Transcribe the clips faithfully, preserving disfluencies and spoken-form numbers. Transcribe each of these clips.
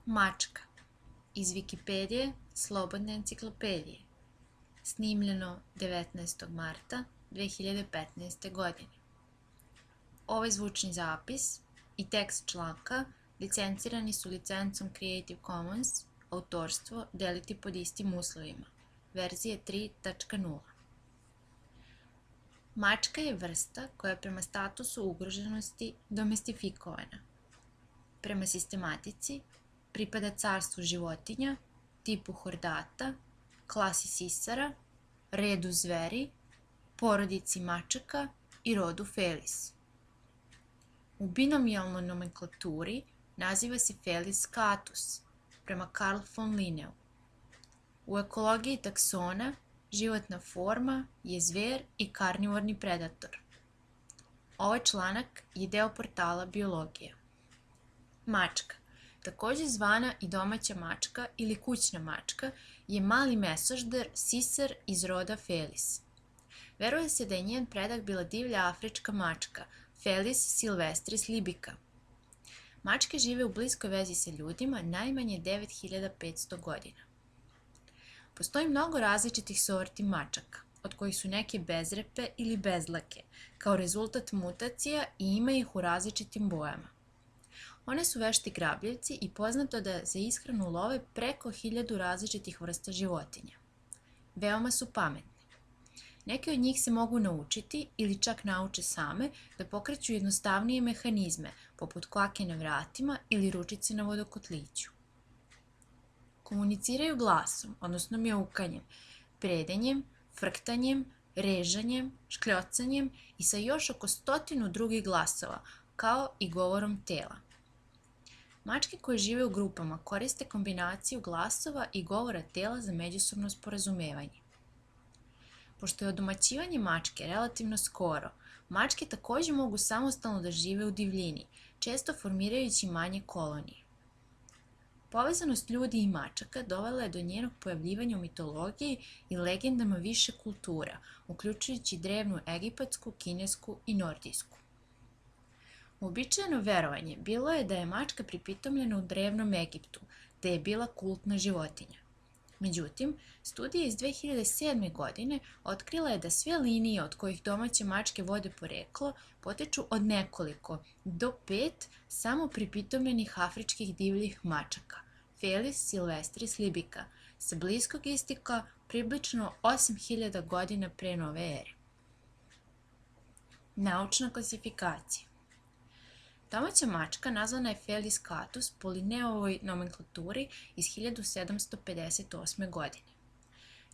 Mačka iz Wikipedije, slobodne enciklopedije. Snimljeno devetnaestog marta dve hiljade petnaeste. godine. Ovaj zvučni zapis i tekst članka licencirani su licencom Creative Commons, autorstvo deliti pod istim uslovima, verzije tri tačka nula. Mačka je vrsta koja je prema statusu ugroženosti domestifikovana. Prema sistematici pripada carstvu životinja, tipu hordata, klasi sisara, redu zveri, porodici mačaka i rodu Felis. U binomijalnoj nomenklaturi naziva se Felis scatus, prema Carl von Linneu. U ekologiji taksona životna forma je zver i karnivorni predator. Ovaj članak je deo portala Biologija. Mačka, takođe zvana i domaća mačka ili kućna mačka, je mali mesožder sisar iz roda Felis. Veruje se da je njen predak bila divlja afrička mačka, Felis silvestris libica. Mačke žive u bliskoj vezi sa ljudima najmanje devet hiljada petsto godina. Postoji mnogo različitih sorti mačaka, od kojih su neke bezrepe ili bezlake, kao rezultat mutacija i ima ih u različitim bojama. One su vešti grabljivci i poznato da za ishranu love preko hiljadu različitih vrsta životinja. Veoma su pametne. Neke od njih se mogu naučiti ili čak nauče same da pokreću jednostavnije mehanizme, poput kvake na vratima ili ručice na vodokotliću. Komuniciraju glasom, odnosno mjaukanjem, predenjem, frktanjem, režanjem, škljocanjem i sa još oko stotinu drugih glasova, kao i govorom tela. Mačke koje žive u grupama koriste kombinaciju glasova i govora tela za međusobno sporazumevanje. Pošto je odomaćivanje mačke relativno skoro, mačke takođe mogu samostalno da žive u divljini, često formirajući manje kolonije. Povezanost ljudi i mačaka dovela je do njenog pojavljivanja u mitologiji i legendama više kultura, uključujući drevnu egipatsku, kinesku i nordijsku. Uobičajeno verovanje bilo je da je mačka pripitomljena u drevnom Egiptu, te je bila kultna životinja. Međutim, studija iz dve hiljade sedme. godine otkrila je da sve linije od kojih domaće mačke vode poreklo potiču od nekoliko do pet samo pripitomljenih afričkih divljih mačaka, Felis silvestris libica, sa bliskog istoka približno osam hiljada godina pre nove ere. Naučna klasifikacija. Domaća mačka nazvana je Felis scatus po Linneovoj nomenklaturi iz hiljadu sedamsto pedeset osme. godine.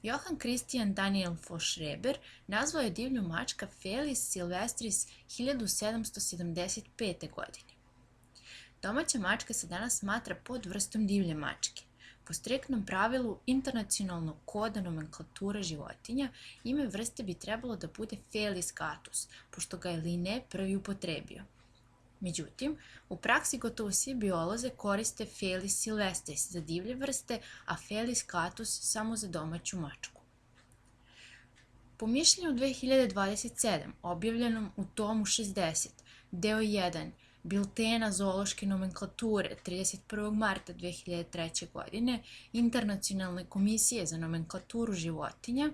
Johann Christian Daniel von Schreber nazvao je divlju mačka Felis silvestris hiljadu sedamsto sedamdeset pete. godine. Domaća mačka se danas smatra podvrstom divlje mačke. Po striktnom pravilu internacionalnog koda nomenklatura životinja, ime vrste bi trebalo da bude Felis scatus, pošto ga je Linne prvi upotrebio. Međutim, u praksi gotovo svi bioloze koriste Felis silvestris za divlje vrste, a Felis scatus samo za domaću mačku. Po mišljenju dve hiljade dvadeset sedme. objavljenom u tomu šezdeset, deo jedan, Biltena zoološke nomenklature trideset prvog marta dve hiljade treće. godine, Internacionalne komisije za nomenklaturu životinja,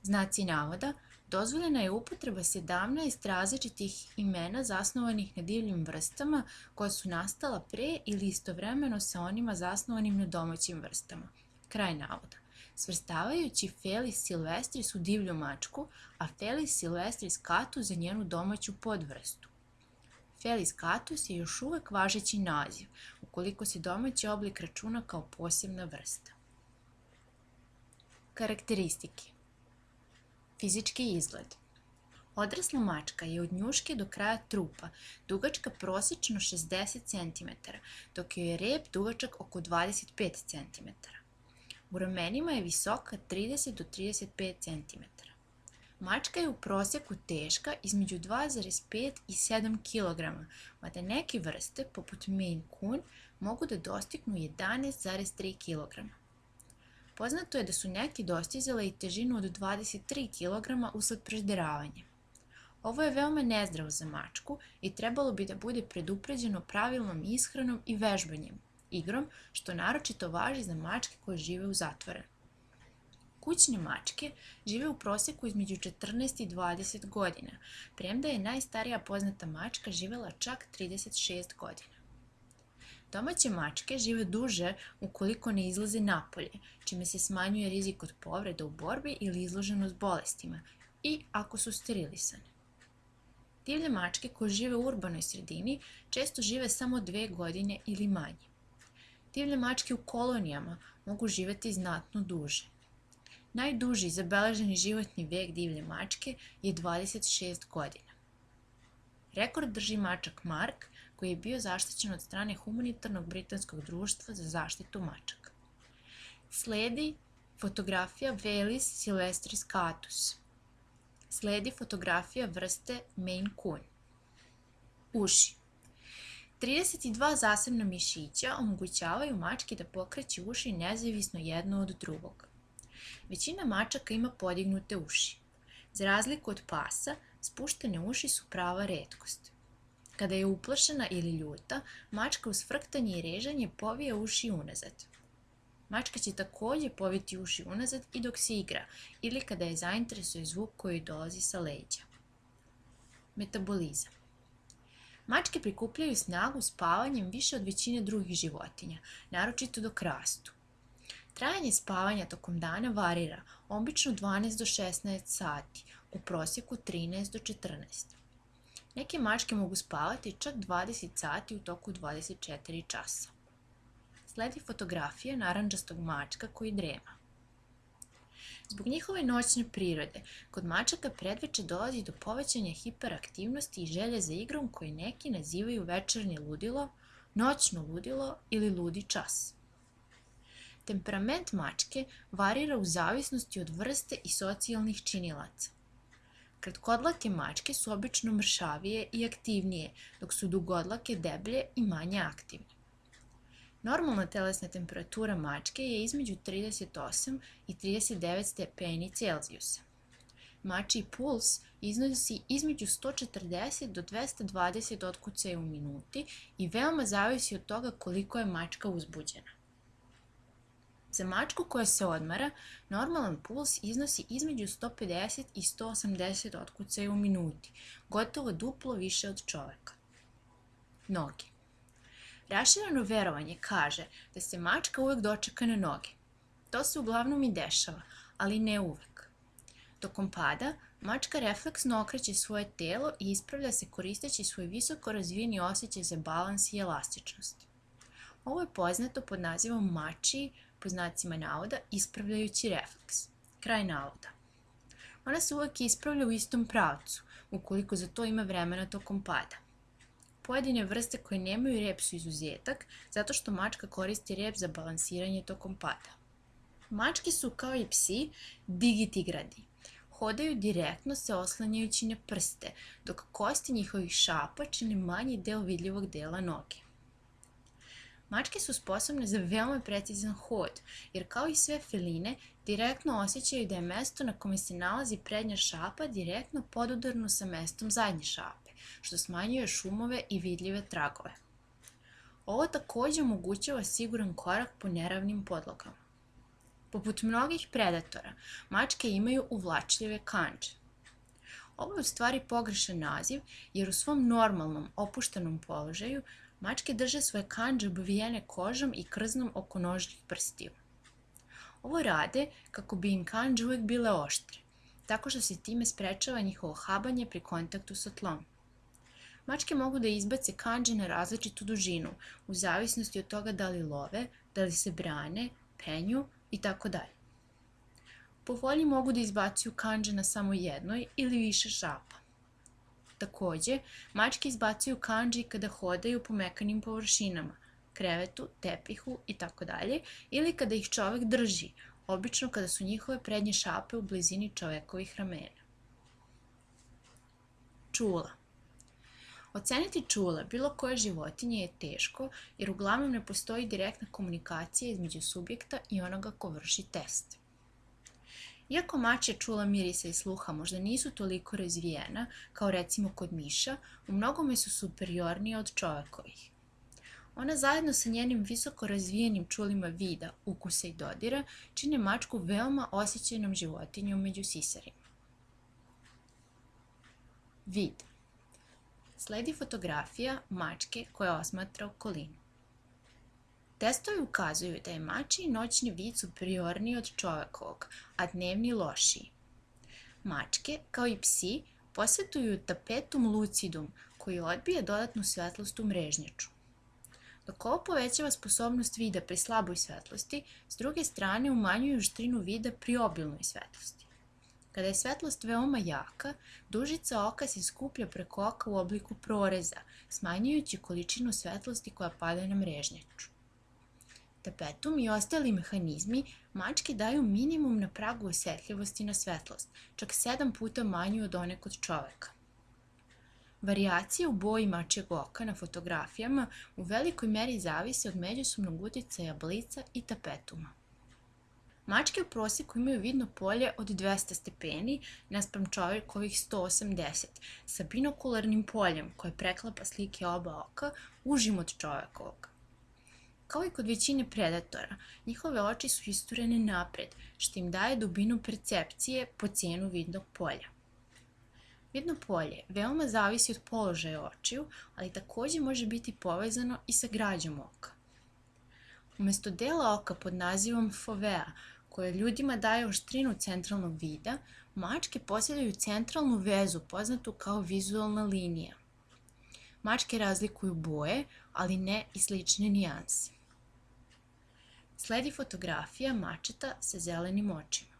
znaci navoda, dozvoljena je upotreba sedamnaest različitih imena zasnovanih na divljim vrstama koja su nastala pre ili istovremeno sa onima zasnovanim na domaćim vrstama. Kraj navoda. Svrstavajući Felis silvestris u divlju mačku, a Felis silvestris scatus za njenu domaću podvrstu. Felis scatus je još uvek važeći naziv, ukoliko se domaći oblik računa kao posebna vrsta. Karakteristike. Fizički izgled. Odrasla mačka je od njuške do kraja trupa dugačka prosečno šezdeset centimetara, dok joj je rep dugačak oko dvadeset pet centimetara. U ramenima je visoka trideset do trideset pet centimetara. Mačka je u proseku teška između dva zarez pet i sedam kilograma, mada neke vrste, poput Maine Coon, mogu da dostignu jedanaest zarez tri kilograma. Poznato je da su neki dostizale i težinu od dvadeset tri kilograma usled prežderavanja. Ovo je veoma nezdravo za mačku i trebalo bi da bude predupređeno pravilnom ishranom i vežbanjem, igrom, što naročito važi za mačke koje žive u zatvorenu. Kućne mačke žive u proseku između četrnaest i dvadeset godina, premda je najstarija poznata mačka živela čak trideset šest godina. Domaće mačke žive duže ukoliko ne izlaze napolje, čime se smanjuje rizik od povreda u borbi ili izloženost bolestima, i ako su sterilisane. Divlje mačke koje žive u urbanoj sredini često žive samo dve godine ili manje. Divlje mačke u kolonijama mogu živeti znatno duže. Najduži zabeleženi životni vek divlje mačke je dvadeset šest godina. Rekord drži mačak Mark, koji je bio zaštićen od strane humanitarnog britanskog društva za zaštitu mačaka. Sledi fotografija Felis silvestris catus. Sledi fotografija vrste Maine Coon. Uši. trideset dva zasebna mišića omogućavaju mački da pokreću uši nezavisno jedno od drugog. Većina mačaka ima podignute uši. Za razliku od pasa, spuštene uši su prava retkost. Kada je uplašena ili ljuta, mačka uz frktanje i režanje povija uši unazad. Mačka će takođe poviti uši unazad i dok se igra ili kada je zainteresuje zvuk koji dolazi sa leđa. Metabolizam. Mačke prikupljaju snagu spavanjem više od većine drugih životinja, naročito dok rastu. Trajanje spavanja tokom dana varira, obično dvanaest do šesnaest sati, u prosjeku trinaest do četrnaest. Neke mačke mogu spavati čak dvadeset sati u toku dvadeset četiri časa. Sledi fotografija narandžastog mačka koji drema. Zbog njihove noćne prirode, kod mačaka predveče dolazi do povećanja hiperaktivnosti i želje za igrom koji neki nazivaju večernje ludilo, noćno ludilo ili ludi čas. Temperament mačke varira u zavisnosti od vrste i socijalnih činilaca. Kratkodlake mačke su obično mršavije i aktivnije, dok su dugodlake deblje i manje aktivne. Normalna telesna temperatura mačke je između trideset osam i trideset devet stepeni Celzijusa. Mačji puls iznosi između sto četrdeset do dvesta dvadeset otkucaja u minuti i veoma zavisi od toga koliko je mačka uzbuđena. Za mačku koja se odmara, normalan puls iznosi između sto pedeset i sto osamdeset otkucaja u minuti, gotovo duplo više od čoveka. Noge. Rašireno verovanje kaže da se mačka uvek dočeka na noge. To se uglavnom i dešava, ali ne uvek. Tokom pada, mačka refleksno okreće svoje telo i ispravlja se koristeći svoj visoko razvijeni osjećaj za balans i elastičnost. Ovo je poznato pod nazivom mačji, po znacima navoda, ispravljajući refleks. Kraj navoda. Ona se uvek ispravlja u istom pravcu, ukoliko za to ima vremena tokom pada. Pojedine vrste koje nemaju rep su izuzetak, zato što mačka koristi rep za balansiranje tokom pada. Mačke su, kao i psi, digitigradi. Hodaju direktno se oslanjajući na prste, dok kosti njihovih šapa čine manji deo vidljivog dela noge. Mačke su sposobne za veoma precizan hod, jer kao i sve feline, direktno osjećaju da je mesto na kome se nalazi prednja šapa direktno podudarno sa mestom zadnje šape, što smanjuje šumove i vidljive tragove. Ovo takođe omogućava siguran korak po neravnim podlogama. Poput mnogih predatora, mačke imaju uvlačljive kandže. Ovo je u stvari pogrešan naziv, jer u svom normalnom, opuštenom položaju mačke drže svoje kandže obvijene kožom i krznom oko nožnih prstiju. Ovo rade kako bi im kandže uvek bile oštre, tako što se time sprečava njihovo habanje pri kontaktu sa tlom. Mačke mogu da izbace kandže na različitu dužinu, u zavisnosti od toga da li love, da li se brane, penju i tako dalje. Po volji mogu da izbacuju kandže na samo jednoj ili više šapa. Takođe, mačke izbacuju kandže i kada hodaju po mekanim površinama, krevetu, tepihu i tako dalje, ili kada ih čovek drži, obično kada su njihove prednje šape u blizini čovekovih ramena. Čula. Oceniti čula bilo koje životinje je teško, jer uglavnom ne postoji direktna komunikacija između subjekta i onoga ko vrši test. Iako mačja čula mirisa i sluha možda nisu toliko razvijena, kao recimo kod miša, u mnogome su superiornije od čovekovih. Ona zajedno sa njenim visoko razvijenim čulima vida, ukusa i dodira čine mačku veoma osjećajnom životinjom među sisarima. Vid. Sledi fotografija mačke koja osmatra okolinu. Testovi ukazuju da je mačji noćni vid superiorniji od čovekovog, a dnevni lošiji. Mačke, kao i psi, posjeduju tapetum lucidum koji odbija dodatnu svetlost u mrežnjaču. Dok ovo povećava sposobnost vida pri slaboj svetlosti, s druge strane umanjuju žustrinu vida pri obilnoj svetlosti. Kada je svetlost veoma jaka, dužica oka se skuplja preko oka u obliku proreza, smanjujući količinu svetlosti koja pada na mrežnjaču. Tapetum i ostali mehanizmi mački daju minimum na pragu osjetljivosti na svetlost, čak sedam puta manju od one kod čoveka. Varijacije u boji mačjeg oka na fotografijama u velikoj meri zavise od međusobnog uticaja blica i tapetuma. Mačke u prosjeku imaju vidno polje od dvesta stepeni naspram čovekovih sto osamdeset, sa binokularnim poljem koje preklapa slike oba oka užim od čovekovog. Kao i kod većine predatora, njihove oči su isturene napred, što im daje dubinu percepcije po cenu vidnog polja. Vidno polje veoma zavisi od položaja očiju, ali takođe može biti povezano i sa građom oka. Umesto dela oka pod nazivom fovea, koje ljudima daje oštrinu centralnog vida, mačke posjeduju centralnu vezu poznatu kao vizualna linija. Mačke razlikuju boje, ali ne i slične nijanse. Sledi fotografija mačeta sa zelenim očima.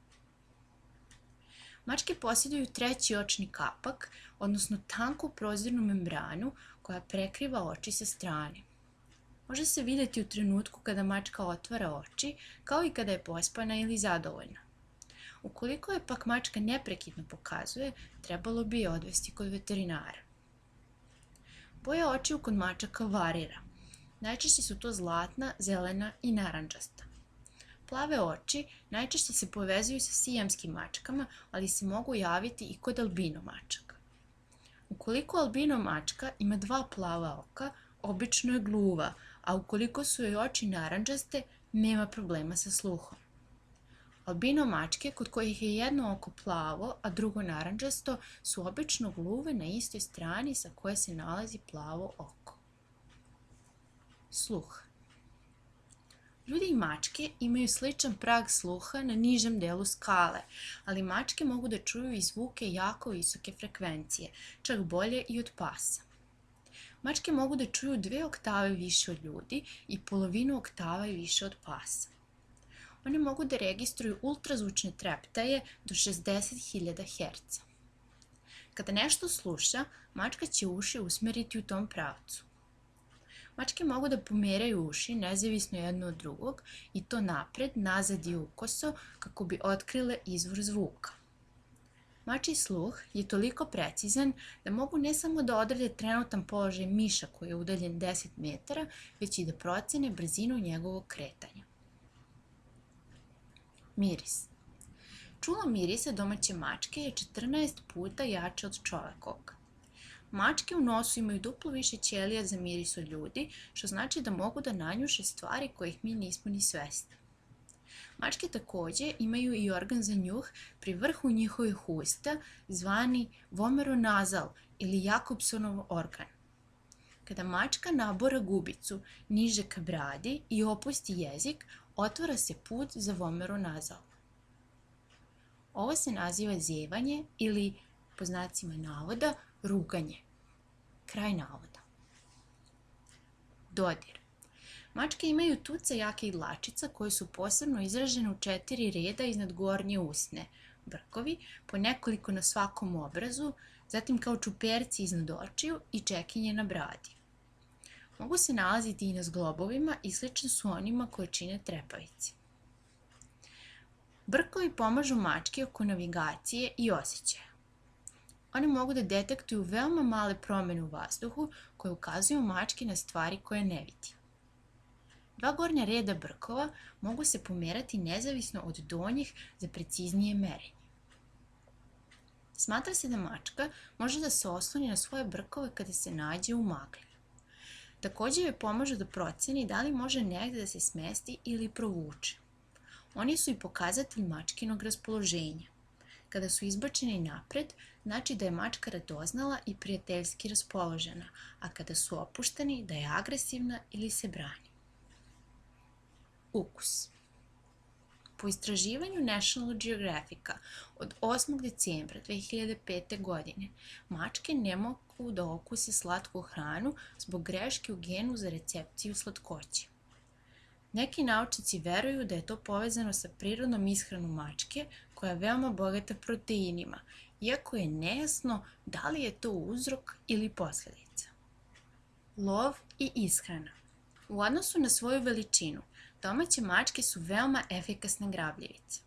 Mačke posjeduju treći očni kapak, odnosno tanku prozirnu membranu koja prekriva oči sa strane. Može se vidjeti u trenutku kada mačka otvara oči, kao i kada je pospana ili zadovoljna. Ukoliko je pak mačka neprekidno pokazuje, trebalo bi je odvesti kod veterinara. Boja očiju kod mačaka varira. Najčešće su to zlatna, zelena i narandžasta. Plave oči najčešće se povezuju sa sijamskim mačkama, ali se mogu javiti i kod albino mačaka. Ukoliko albino mačka ima dva plava oka, obično je gluva, a ukoliko su joj oči narandžaste, nema problema sa sluhom. Albino mačke, kod kojih je jedno oko plavo, a drugo narandžasto, su obično gluve na istoj strani sa koje se nalazi plavo oko. Sluh. Ljudi i mačke imaju sličan prag sluha na nižem delu skale, ali mačke mogu da čuju i zvuke jako visoke frekvencije, čak bolje i od pasa. Mačke mogu da čuju dve oktave više od ljudi i polovinu oktava i više od pasa. One mogu da registruju ultrazvučne treptaje do šezdeset hiljada herca. Kada nešto sluša, mačka će uši usmeriti u tom pravcu. Mačke mogu da pomeraju uši nezavisno jedno od drugog i to napred, nazad i ukoso kako bi otkrile izvor zvuka. Mačji sluh je toliko precizan da mogu ne samo da odrede trenutan položaj miša koji je udaljen deset metara, već i da procene brzinu njegovog kretanja. Miris. Čulo mirisa domaće mačke je četrnaest puta jače od čovekovog. Mačke u nosu imaju duplo više ćelija za miris od ljudi, što znači da mogu da nanjuše stvari kojih mi nismo ni svesni. Mačke takođe imaju i organ za njuh pri vrhu njihovih usta, zvani vomeronazal ili Jakobsonov organ. Kada mačka nabora gubicu niže ka bradi i opusti jezik, otvara se put za vomeronazal. Ovo se naziva zevanje ili, po znacima navoda, ruganje. Kraj navoda. Dodir. Mačke imaju tuce jake i dlačica koje su posebno izražene u četiri reda iznad gornje usne, brkovi, po nekoliko na svakom obrazu, zatim kao čuperci iznad očiju i čekinje na bradi. Mogu se nalaziti i na zglobovima i slični su onima koje čine trepavice. Brkovi pomažu mački oko navigacije i osjećaja. One mogu da detektuju veoma male promene u vazduhu koje ukazuju mački na stvari koje ne vidi. Dva gornja reda brkova mogu se pomerati nezavisno od donjih za preciznije merenje. Smatra se da mačka može da se osloni na svoje brkove kada se nađe u magli. Takođe joj pomažu da proceni da li može negde da se smesti ili provuče. Oni su i pokazatelj mačkinog raspoloženja. Kada su izbačeni napred, znači da je mačka radoznala i prijateljski raspoložena, a kada su opušteni, da je agresivna ili se brani. Ukus. Po istraživanju National Geographica od osmog decembra dve hiljade pete. godine, mačke ne mogu da okuse slatku hranu zbog greške u genu za recepciju slatkoće. Neki naučnici veruju da je to povezano sa prirodnom ishranom mačke, koja je veoma bogata proteinima, iako je nejasno da li je to uzrok ili posledica. Lov i ishrana. U odnosu na svoju veličinu, domaće mačke su veoma efikasne grabljivice.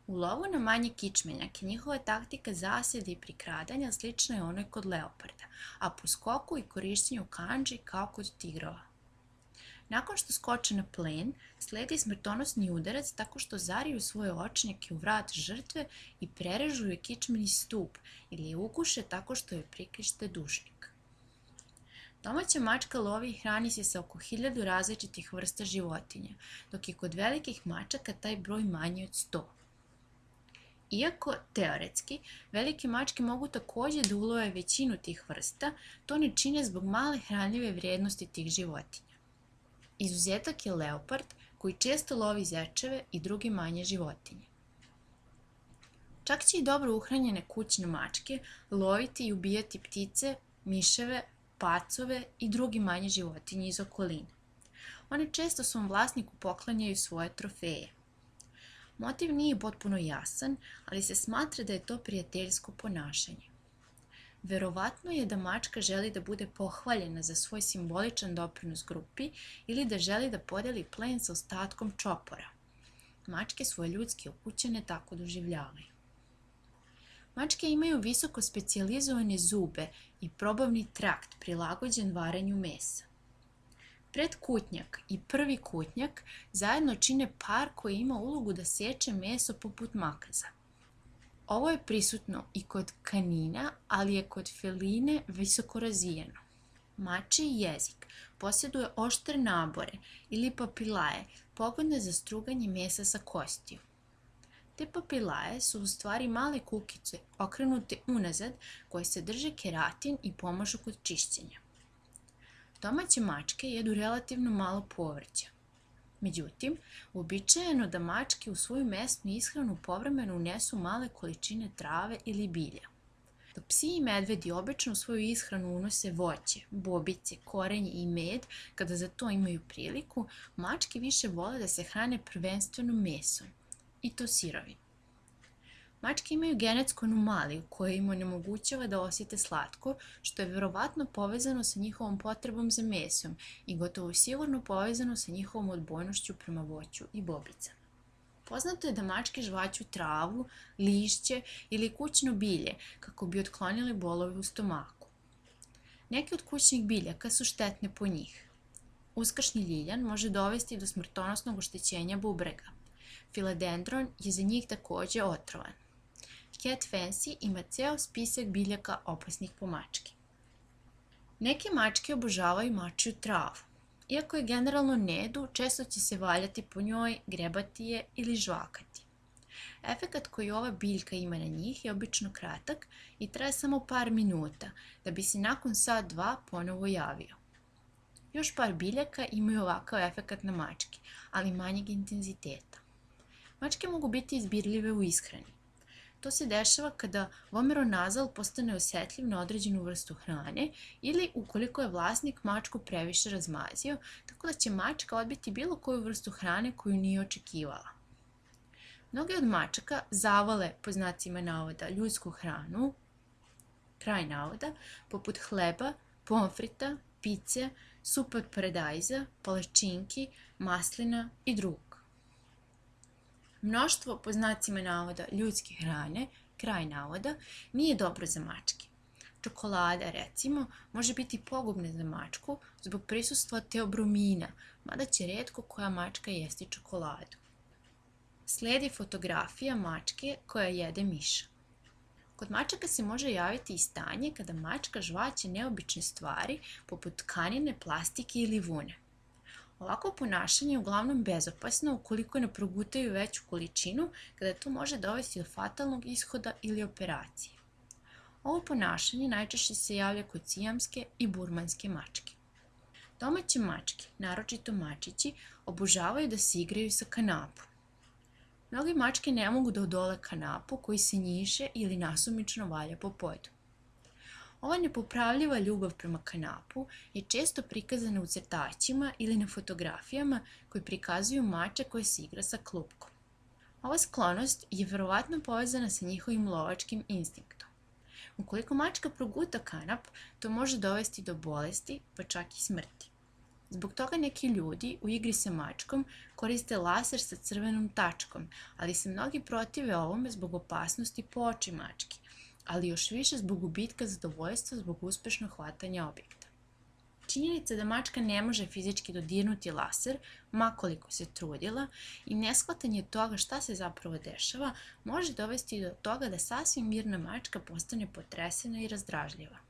U lovu na manje kičmenjake njihova taktika zasede i prikradanja slična je onoj kod leoparda, a po skoku i korišćenju kandži kao kod tigrova. Nakon što skoče na plen, sledi smrtonosni udarac tako što zariju svoje očnjake u vrat žrtve i prerežu joj kičmeni stup ili je ukuše tako što joj prikrište dušnik. Domaća mačka lovi i hrani se sa oko hiljadu različitih vrsta životinja, dok je kod velikih mačaka taj broj manji od sto. Iako, teoretski, velike mačke mogu takođe da ulove većinu tih vrsta, to ne čine zbog male hranljive vrijednosti tih životinja. Izuzetak je leopard, koji često lovi zečeve i druge manje životinje. Čak će i dobro uhranjene kućne mačke loviti i ubijati ptice, miševe, pacove i drugi manje životinje iz okoline. One često svom vlasniku poklanjaju svoje trofeje. Motiv nije potpuno jasan, ali se smatra da je to prijateljsko ponašanje. Verovatno je da mačka želi da bude pohvaljena za svoj simboličan doprinos grupi ili da želi da podeli plen sa ostatkom čopora. Mačke svoje ljudske ukućane tako doživljavaju. Mačke imaju visoko specijalizovane zube i probavni trakt prilagođen varenju mesa. Predkutnjak i prvi kutnjak zajedno čine par koji ima ulogu da seče meso poput makaza. Ovo je prisutno i kod kanina, ali je kod feline visoko razvijeno. Mačji jezik posjeduje oštre nabore ili papilaje pogodne za struganje mesa sa kostiju. Te papilaje su u stvari male kukice okrenute unazad koje sadrže keratin i pomažu kod čišćenja. Domaće mačke jedu relativno malo povrća. Međutim, uobičajeno da mačke u svoju mesnu ishranu povremeno unesu male količine trave ili bilja. Dok psi i medvedi obično u svoju ishranu unose voće, bobice, korenje i med kada za to imaju priliku, mačke više vole da se hrane prvenstveno mesom, i to sirovim. Mačke imaju genetsku anomaliju koja im onemogućava da osjete slatko, što je verovatno povezano sa njihovom potrebom za mesom i gotovo sigurno povezano sa njihovom odbojnošću prema voću i bobicama. Poznato je da mačke žvaću travu, lišće ili kućno bilje kako bi otklonile bolove u stomaku. Neke od kućnih biljaka su štetne po njih. Uskršnji ljiljan može dovesti do smrtonosnog oštećenja bubrega. Filadendron je za njih takođe otrovan. Cat Fancy ima ceo spisak biljaka opasnih po mačke. Neke mačke obožavaju mačju travu. Iako je generalno ne jedu, često će se valjati po njoj, grebati je ili žvakati. Efekat koji ova biljka ima na njih je obično kratak i traje samo par minuta, da bi se nakon sat dva ponovo javio. Još par biljaka imaju ovakav efekat na mačke, ali manjeg intenziteta. Mačke mogu biti izbirljive u ishrani. To se dešava kada vomeronazal postane osetljiv na određenu vrstu hrane ili ukoliko je vlasnik mačku previše razmazio, tako da će mačka odbiti bilo koju vrstu hrane koju nije očekivala. Mnoge od mačaka zavole, po znacima navoda, ljudsku hranu, kraj navoda, poput hleba, pomfrita, pice, supe od paradajza, palačinki, maslina i drugog. Mnoštvo, po znacima navoda, ljudske hrane, kraj navoda, nije dobro za mačke. Čokolada, recimo, može biti pogubna za mačku zbog prisustva teobromina, mada će retko koja mačka jesti čokoladu. Sledi fotografija mačke koja jede miša. Kod mačaka se može javiti i stanje kada mačka žvaće neobične stvari poput tkanine, plastike ili vune. Ovako ponašanje je uglavnom bezopasno ukoliko ne progutaju veću količinu, kada to može dovesti do fatalnog ishoda ili operacije. Ovo ponašanje najčešće se javlja kod sijamske i burmanske mačke. Domaće mačke, naročito mačići, obožavaju da se igraju sa kanapom. Mnoge mačke ne mogu da odole kanapu koji se njiše ili nasumično valja po podu. Ova nepopravljiva ljubav prema kanapu je često prikazana u crtaćima ili na fotografijama koji prikazuju mača koja se igra sa klupkom. Ova sklonost je verovatno povezana sa njihovim lovačkim instinktom. Ukoliko mačka proguta kanap, to može dovesti do bolesti, pa čak i smrti. Zbog toga neki ljudi u igri sa mačkom koriste laser sa crvenom tačkom, ali se mnogi protive ovome zbog opasnosti po oči mačke, ali još više zbog gubitka zadovoljstva zbog uspešnog hvatanja objekta. Činjenica da mačka ne može fizički dodirnuti laser, ma koliko se trudila, i neshvatanje toga šta se zapravo dešava, može dovesti do toga da sasvim mirna mačka postane potresena i razdražljiva.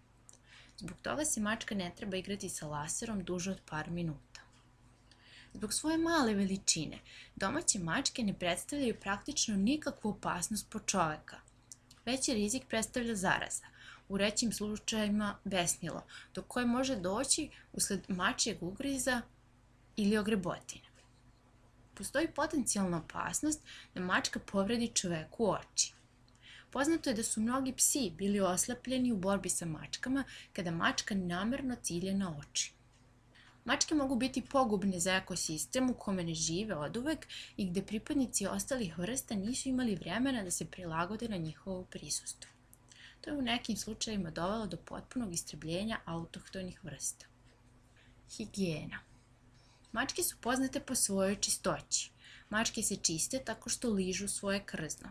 Zbog toga se mačka ne treba igrati sa laserom duže od par minuta. Zbog svoje male veličine, domaće mačke ne predstavljaju praktično nikakvu opasnost po čoveka. Veći rizik predstavlja zaraza, u rećim slučajevima besnilo, do koje može doći usled mačjeg ugriza ili ogrebotine. Postoji potencijalna opasnost da mačka povredi čoveku oči. Poznato je da su mnogi psi bili oslepljeni u borbi sa mačkama kada mačka namerno cilja na oči. Mačke mogu biti pogubne za ekosistem u kome ne žive oduvek i gde pripadnici ostalih vrsta nisu imali vremena da se prilagode na njihovo prisustvo. To je u nekim slučajevima dovelo do potpunog istrebljenja autohtonih vrsta. Higijena. Mačke su poznate po svojoj čistoći. Mačke se čiste tako što ližu svoje krzno.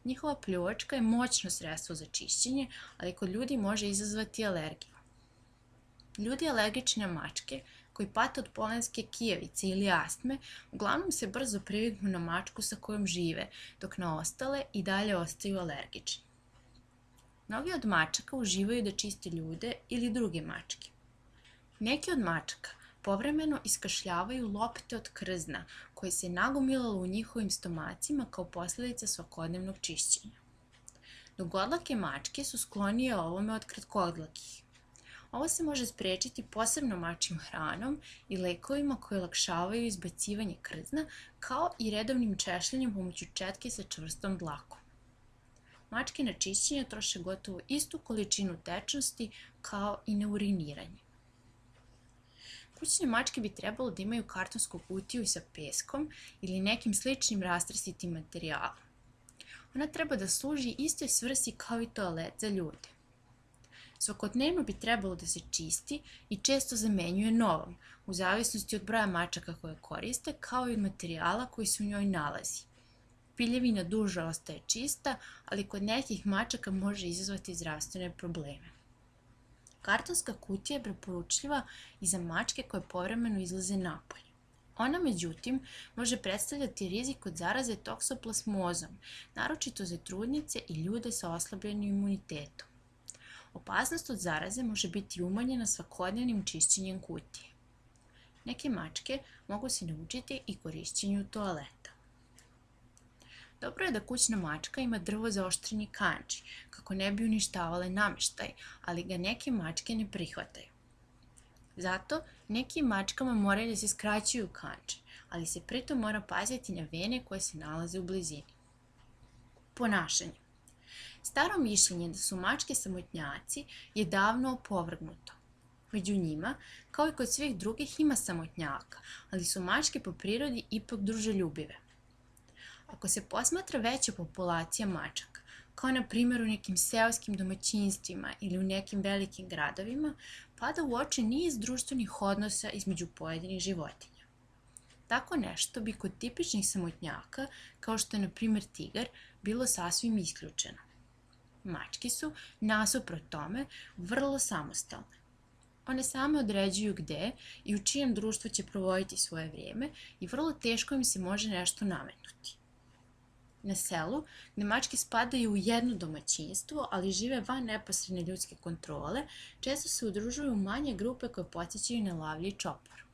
Njihova pljuvačka je moćno sredstvo za čišćenje, ali kod ljudi može izazvati alergiju. Ljudi alergični na mačke, koji pate od polenske kijevice ili astme, uglavnom se brzo priviknu na mačku sa kojom žive, dok na ostale i dalje ostaju alergični. Mnogi od mačaka uživaju da čiste ljude ili druge mačke. Neki od mačaka povremeno iskašljavaju lopte od krzna koje se nagomilalo u njihovim stomacima kao posljedica svakodnevnog čišćenja. Dugodlake mačke su sklonije ovome od kratkodlakih. Ovo se može sprečiti posebno mačjim hranom i lekovima koji olakšavaju izbacivanje krzna, kao i redovnim češljanjem pomoću četke sa čvrstom dlakom. Mačke na čišćenje troše gotovo istu količinu tečnosti kao i na uriniranje. Kućne mačke bi trebalo da imaju kartonsku kutiju sa peskom ili nekim sličnim rastresitim materijalom. Ona treba da služi istoj svrsi kao i toalet za ljude. Svakodnevno bi trebalo da se čisti i često zamenjuje novom, u zavisnosti od broja mačaka koje koriste, kao i od materijala koji se u njoj nalazi. Piljevina duže ostaje čista, ali kod nekih mačaka može izazvati zdravstvene probleme. Kartonska kutija je preporučljiva i za mačke koje povremeno izlaze napolje. Ona, međutim, može predstavljati rizik od zaraze toksoplasmozom, naročito za trudnice i ljude sa oslabljenim imunitetom. Opasnost od zaraze može biti umanjena svakodnevnim čišćenjem kutije. Neke mačke mogu se naučiti i korišćenju toaleta. Dobro je da kućna mačka ima drvo za oštreni kandži, kako ne bi uništavale nameštaj, ali ga neke mačke ne prihvataju. Zato nekim mačkama moraju da se skraćuju kandže, ali se pritom mora paziti na vene koje se nalaze u blizini. Ponašanje. Staro mišljenje da su mačke samotnjaci je davno opovrgnuto. Među njima, kao i kod svih drugih, ima samotnjaka, ali su mačke po prirodi ipak druželjubive. Ako se posmatra veća populacija mačaka, kao na primjer u nekim seoskim domaćinstvima ili u nekim velikim gradovima, pada u oči niz društvenih odnosa između pojedinih životinja. Tako nešto bi kod tipičnih samotnjaka, kao što je na primjer tigar, bilo sasvim isključeno. Mačke su, nasuprot tome, vrlo samostalne. One same određuju gde i u čijem društvu će provoditi svoje vrijeme i vrlo teško im se može nešto nametnuti. Na selu, gde mačke spadaju u jedno domaćinstvo, ali žive van neposredne ljudske kontrole, često se udružuju u manje grupe koje podsjećaju na lavlje i čopor.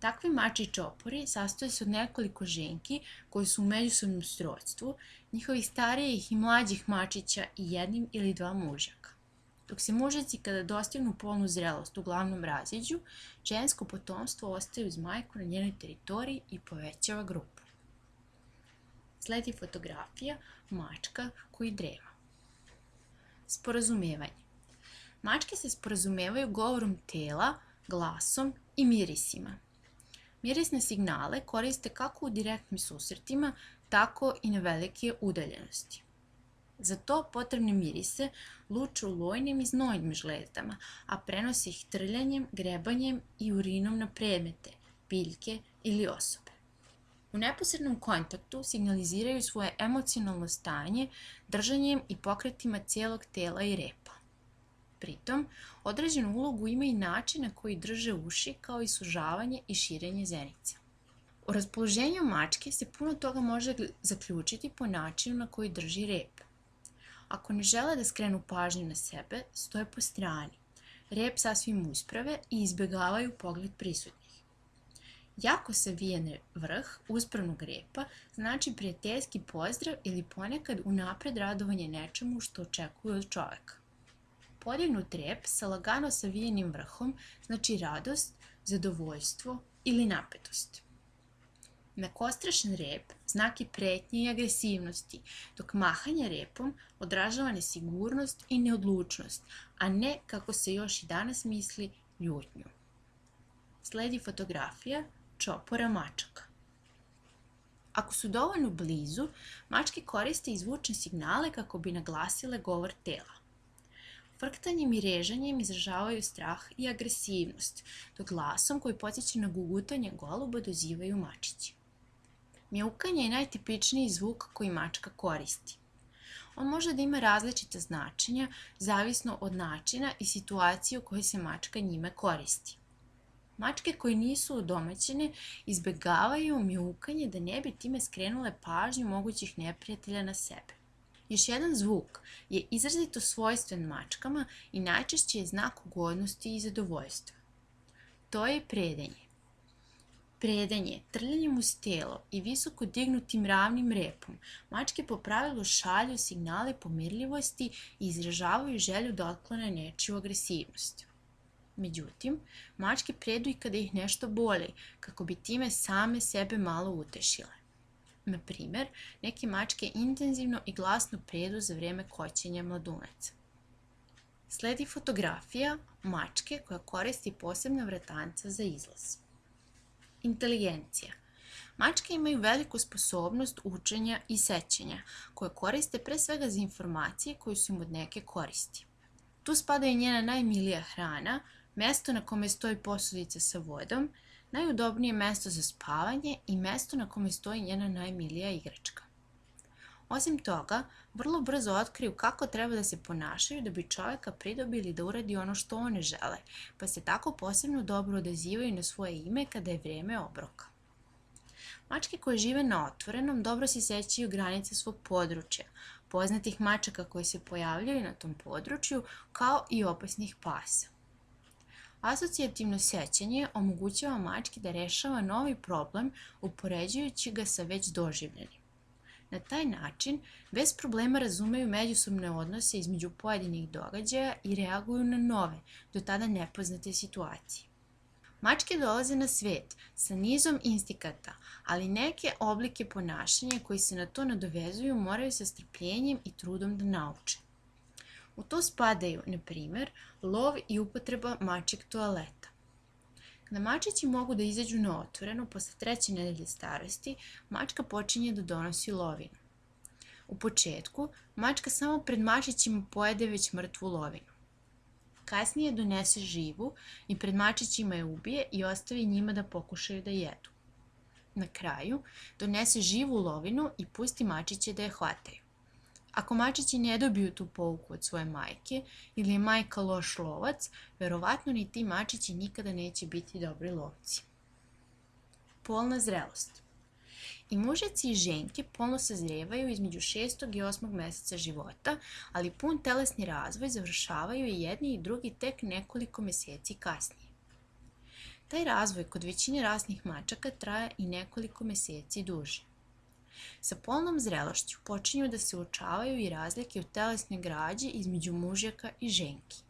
Takvi mačji čopori sastoje se od nekoliko ženki koji su u međusobnom srodstvu, njihovih starijih i mlađih mačića i jednim ili dva mužjaka. Dok se mužjaci kada dostignu polnu zrelost uglavnom raziđu, žensko potomstvo ostaje uz majku na njenoj teritoriji i povećava grupu. Sledi fotografija mačka koji drema. Sporazumevanje. Mačke se sporazumevaju govorom tela, glasom i mirisima. Mirisne signale koriste kako u direktnim susretima, tako i na velike udaljenosti. Za to potrebne mirise luče u lojnim i znojnim žlezdama, a prenose ih trljanjem, grebanjem i urinom na predmete, biljke ili osobe. U neposrednom kontaktu signaliziraju svoje emocionalno stanje držanjem i pokretima cijelog tela i repa. Pritom, određenu ulogu ima i način na koji drže uši, kao i sužavanje i širenje zenica. U raspoloženju mačke se puno toga može zaključiti po načinu na koji drži rep. Ako ne žele da skrenu pažnju na sebe, stoje po strani. Rep sasvim usprave i izbjegavaju pogled prisutnih. Jako savijen vrh uspravnog repa znači prijateljski pozdrav ili ponekad unapred radovanje nečemu što očekuju od čoveka. Podignut rep sa lagano savijenim vrhom znači radost, zadovoljstvo ili napetost. Nakostrašen rep znak je pretnje i agresivnosti, dok mahanje repom odražava nesigurnost i neodlučnost, a ne, kako se još i danas misli, ljutnju. Sledi fotografija čopora mačaka. Ako su dovoljno blizu, mačke koriste i zvučne signale kako bi naglasile govor tela. Frktanjem i režanjem izražavaju strah i agresivnost, dok glasom koji podsjeća na gugutanje goluba dozivaju mačići. Mjaukanje je najtipičniji zvuk koji mačka koristi. On može da ima različita značenja, zavisno od načina i situacije u kojoj se mačka njime koristi. Mačke koje nisu udomaćene izbjegavaju mjaukanje da ne bi time skrenule pažnju mogućih neprijatelja na sebe. Još jedan zvuk je izrazito svojstven mačkama i najčešće je znak ugodnosti i zadovoljstva. To je predenje. Predanje, trljanjem uz telo i visoko dignutim ravnim repom, mačke po pravilu šalju signale pomirljivosti i izražavaju želju da otklone nečiju agresivnost. Međutim, mačke predu i kada ih nešto boli, kako bi time same sebe malo utešile. Na primjer, neke mačke intenzivno i glasno predu za vrijeme koćenja mladunaca. Sledi fotografija mačke koja koristi posebna vratanca za izlaz. Inteligencija. Mačke imaju veliku sposobnost učenja i sećanja, koje koriste pre svega za informacije koje su im od neke koristi. Tu spada i njena najmilija hrana, mesto na kome stoji posudica sa vodom, najudobnije mesto za spavanje i mesto na kome stoji njena najmilija igračka. Osim toga, vrlo brzo otkriju kako treba da se ponašaju da bi čovjeka pridobili da uradi ono što one žele, pa se tako posebno dobro odazivaju na svoje ime kada je vrijeme obroka. Mačke koje žive na otvorenom dobro se sećaju granice svog područja, poznatih mačaka koje se pojavljaju na tom području, kao i opasnih pasa. Asocijativno sećanje omogućava mački da rešava novi problem upoređujući ga sa već doživljenim. Na taj način, bez problema razumeju međusobne odnose između pojedinih događaja i reaguju na nove, do tada nepoznate situacije. Mačke dolaze na svet sa nizom instikata, ali neke oblike ponašanja koji se na to nadovezuju moraju sa strpljenjem i trudom da nauče. U to spadaju, na primjer, lov i upotreba mačjeg toaleta. Kada mačići mogu da izađu na otvoreno posle treće nedelje starosti, mačka počinje da donosi lovinu. U početku, mačka samo pred mačićima pojede već mrtvu lovinu. Kasnije donese živu i pred mačićima je ubije i ostavi njima da pokušaju da jedu. Na kraju, donese živu lovinu i pusti mačiće da je hvataju. Ako mačići ne dobiju tu pouku od svoje majke ili je majka loš lovac, verovatno ni ti mačići nikada neće biti dobri lovci. Polna zrelost. I mužjaci i ženke polno sazrevaju između šestog i osmog meseca života, ali pun telesni razvoj završavaju i jedni i drugi tek nekoliko meseci kasnije. Taj razvoj kod većine rasnih mačaka traje i nekoliko meseci duže. Sa polnom zrelošću počinju da se uočavaju i razlike u telesnoj građi između mužjaka i ženki.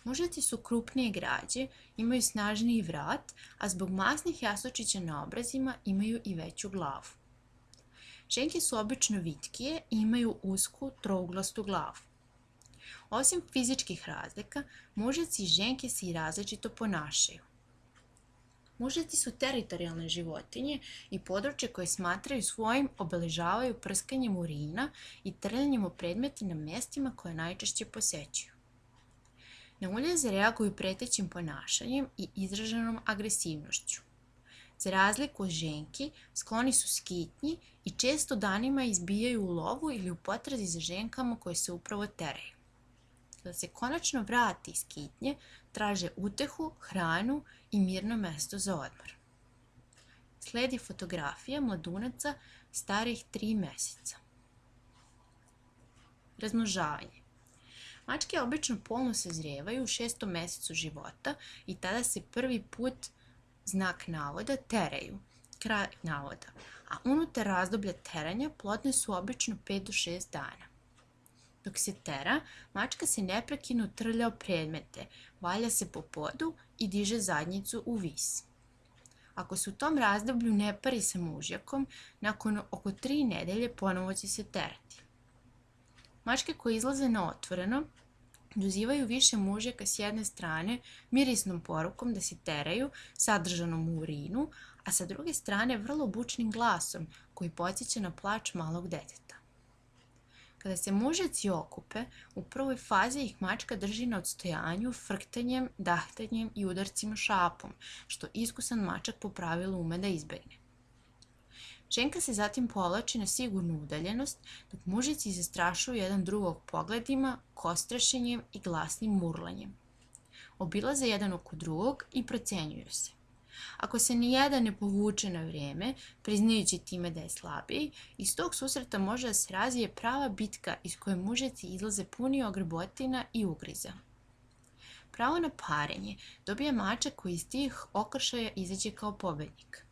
Mužjaci su krupnije građe, imaju snažniji vrat, a zbog masnih jastučića na obrazima imaju i veću glavu. Ženke su obično vitkije i imaju usku, trouglastu glavu. Osim fizičkih razlika, mužjaci i ženke se i različito ponašaju. Mužjaci su teritorijalne životinje i područje koje smatraju svojim obeležavaju prskanjem urina i trljanjem u predmete na mestima koje najčešće posećuju. Na uljeze reaguju pretećim ponašanjem i izraženom agresivnošću. Za razliku od ženki, skloni su skitnji i često danima izbijaju u lovu ili u potrazi za ženkama koje se upravo teraju. Kada se konačno vrati iz skitnje, traže utehu, hranu i mirno mesto za odmor. Sledi fotografija mladunaca starih tri meseca. Razmnožavanje. Mačke obično polno sazrevaju u šestom mesecu života i tada se prvi put, znak navoda, teraju, kraj navoda, a unutar razdoblja teranja plodne su obično pet do šest dana. Dok se tera, mačka se neprekidno trlja o predmete, valja se po podu i diže zadnjicu u vis. Ako se u tom razdoblju ne pari sa mužjakom, nakon oko tri nedelje ponovo će se terati. Mačke koje izlaze na otvoreno dozivaju više mužjaka s jedne strane mirisnom porukom da se teraju, sadržanom u urinu, a sa druge strane vrlo bučnim glasom koji podsjeća na plač malog deteta. Kada se mužjaci okupe, u prvoj fazi ih mačka drži na odstojanju frktanjem, dahtanjem i udarcima šapom, što iskusan mačak po pravilu ume da izbegne. Ženka se zatim povlači na sigurnu udaljenost, dok mužjaci zastrašuju jedan drugog pogledima, kostrešenjem i glasnim murlanjem. Obilaze jedan oko drugog i procenjuju se. Ako se nijedan ne povuče na vreme, priznajući time da je slabiji, iz tog susreta može da se razvije prava bitka iz koje mužjaci izlaze puni ogrbotina i ugriza. Pravo na parenje dobija mačak koji iz tih okršaja izađe kao pobednik.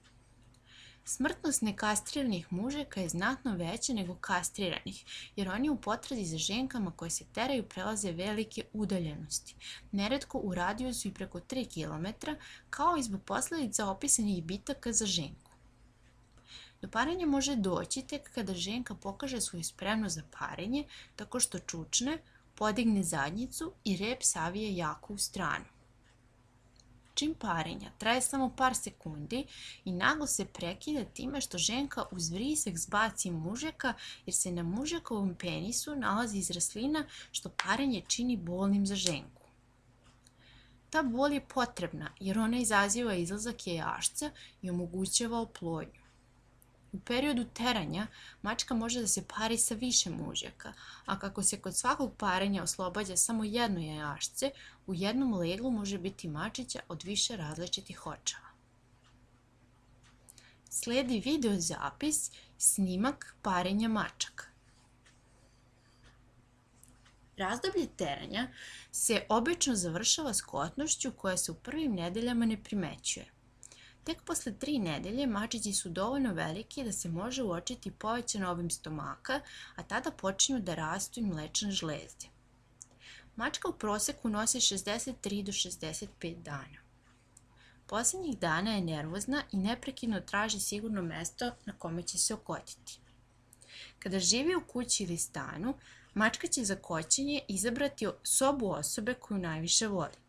Smrtnost nekastriranih mužjaka je znatno veća nego kastriranih, jer oni u potrazi za ženkama koje se teraju prelaze velike udaljenosti, neretko u radijusu i preko tri kilometra, kao i zbog posledica opisanih bitaka za ženku. Do parenja može doći tek kada ženka pokaže svoju spremnost za parenje tako što čučne, podigne zadnjicu i rep savije jako u stranu. Čin parenja traje samo par sekundi i naglo se prekida time što ženka uz vrisak zbaci mužjaka jer se na mužjakovom penisu nalazi izraslina što parenje čini bolnim za ženku. Ta bol je potrebna jer ona izaziva izlazak jajašca i omogućava oplodnju. U periodu teranja mačka može da se pari sa više mužjaka, a kako se kod svakog parenja oslobađa samo jedno jajašce, u jednom leglu može biti mačića od više različitih očeva. Sledi video zapis, snimak parenja mačaka. Razdoblje teranja se obično završava skotnošću koja se u prvim nedeljama ne primećuje. Tek posle tri nedelje mačići su dovoljno veliki da se može uočiti povećan obim stomaka, a tada počinju da rastu i mlečne žlezde. Mačka u proseku nosi šezdeset tri do šezdeset pet dana. Poslednjih dana je nervozna i neprekidno traži sigurno mesto na kome će se okotiti. Kada živi u kući ili stanu, mačka će za koćenje izabrati sobu osobe koju najviše voli.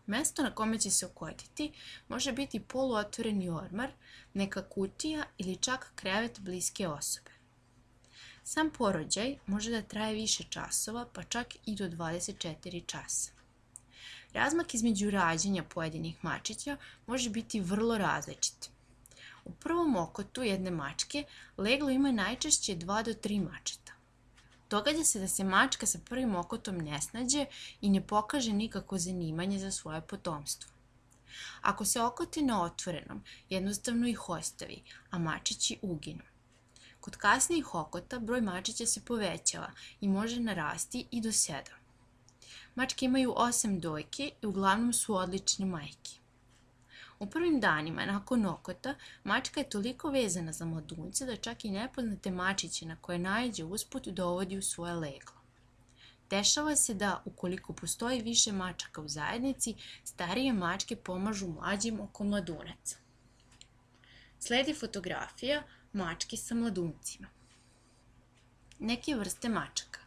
Mesto na kome će se okotiti može biti poluotvoreni ormar, neka kutija ili čak krevet bliske osobe. Sam porođaj može da traje više časova, pa čak i do dvadeset četiri časa. Razmak između rađanja pojedinih mačića može biti vrlo različit. U prvom okotu jedne mačke leglo ima najčešće dva do tri mačeta. Događa se da se mačka sa prvim okotom ne snađe i ne pokaže nikako zanimanje za svoje potomstvo. Ako se okoti na otvorenom, jednostavno ih ostavi, a mačići uginu. Kod kasnijih okota broj mačića se povećava i može narasti i do sedam. Mačke imaju osam dojki i uglavnom su odlične majke. U prvim danima nakon okota mačka je toliko vezana za mladunce da čak i nepoznate mačiće na koje naiđe usput dovodi u svoje leglo. Dešava se da, ukoliko postoji više mačaka u zajednici, starije mačke pomažu mlađim oko mladunaca. Sledi fotografija mački sa mladuncima. Neke vrste mačaka: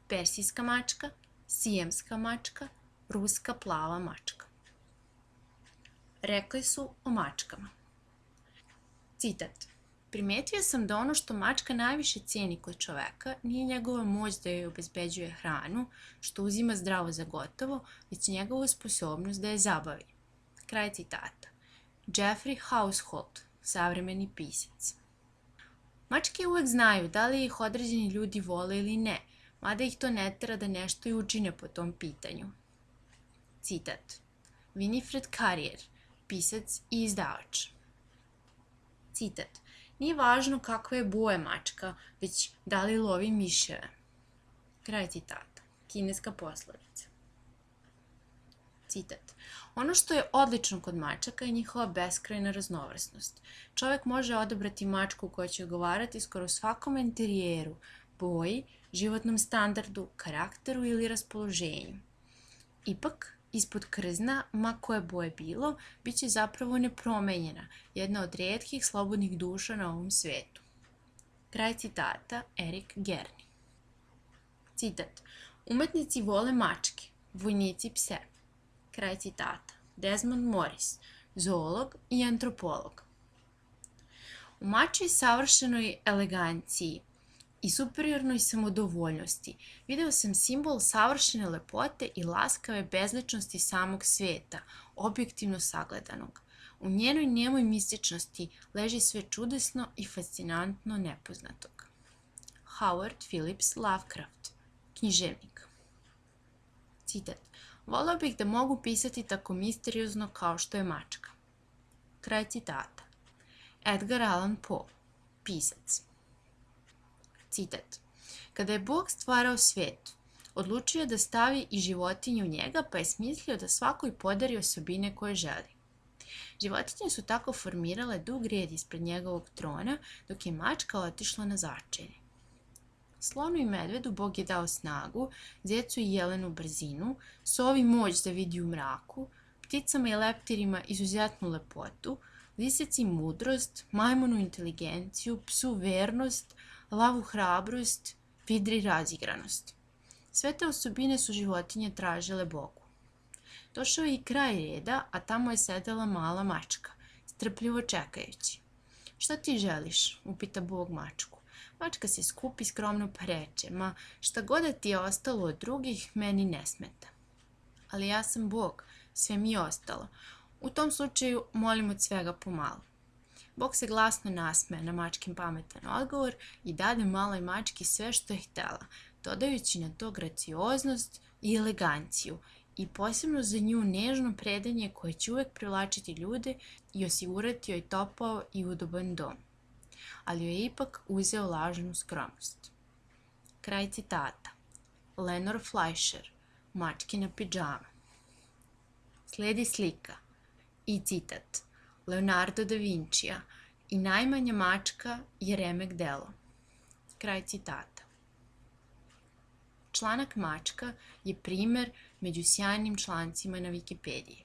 persijska mačka, sijemska mačka, ruska plava mačka. Rekli su o mačkama. Citat: primetio sam da ono što mačka najviše cijeni kod čoveka nije njegova moć da joj obezbeđuje hranu, što uzima zdravo za gotovo, već njegova sposobnost da je zabavi. Kraj citata. Jeffrey Household, savremeni pisac. Mačke uvek znaju da li ih određeni ljudi vole ili ne, mada ih to ne tera da nešto i učine po tom pitanju. Citat: Winifred Carrier, pisac i izdavač. Citat: nije važno kakve je boje mačka, već da li lovi miševe. Kraj citata. Kineska poslovica. Citat: ono što je odlično kod mačaka je njihova beskrajna raznovrsnost. Čovek može odabrati mačku koja će odgovarati skoro svakom interijeru, boji, životnom standardu, karakteru ili raspoloženju. Ipak, ispod krzna, ma koje boje bilo, bit će zapravo nepromenjena, jedna od rijetkih slobodnih duša na ovom svetu. Kraj citata. Erik Gerni. Citat: umetnici vole mačke, vojnici pse. Kraj citata. Desmond Morris, zoolog i antropolog. U mačoj savršenoj eleganciji i superiornoj samodovoljnosti video sam simbol savršene lepote i laskave bezličnosti samog sveta, objektivno sagledanog. U njenoj nemoj mističnosti leži sve čudesno i fascinantno nepoznatog. Howard Phillips Lovecraft, književnik. Citat: voleo bih da mogu pisati tako misteriozno kao što je mačka. Kraj citata. Edgar Allan Poe, pisac. Citat: kada je Bog stvarao svet, odlučio je da stavi i životinje u njega, pa je smislio da svakoj podari osobine koje želi. Životinje su tako formirale dug red ispred njegovog trona, dok je mačka otišla na začelje. Slonu i medvedu Bog je dao snagu, zecu i jelenu brzinu, sovi moć da vidi u mraku, pticama i leptirima izuzetnu lepotu, lisici mudrost, majmunu inteligenciju, psu vernost, lavu hrabrost, vidri razigranost. Sve te osobine su životinje tražile Bogu. Došao je i kraj reda, a tamo je sedela mala mačka, strpljivo čekajući. Šta ti želiš? Upita Bog mačku. Mačka se skupi skromno pa reče: ma šta god da ti je ostalo od drugih, meni ne smeta. Ali ja sam Bog, sve mi je ostalo. U tom slučaju molim od svega pomalo. Bog se glasno nasmeje na mačkin pametan odgovor i dade maloj mački sve što je htela, dodajući na to gracioznost i eleganciju i posebno za nju nežno predanje koje će uvek privlačiti ljude i osigurati joj topao i udoban dom. Ali joj je ipak uzeo lažnu skromnost. Kraj citata. Lenore Fleischer, mačkina pidžama. Sledi slika i citat Leonardo da Vincija: i najmanja mačka je remek delo. Kraj citata. Članak mačka je primer među sjajnim člancima na Wikipediji.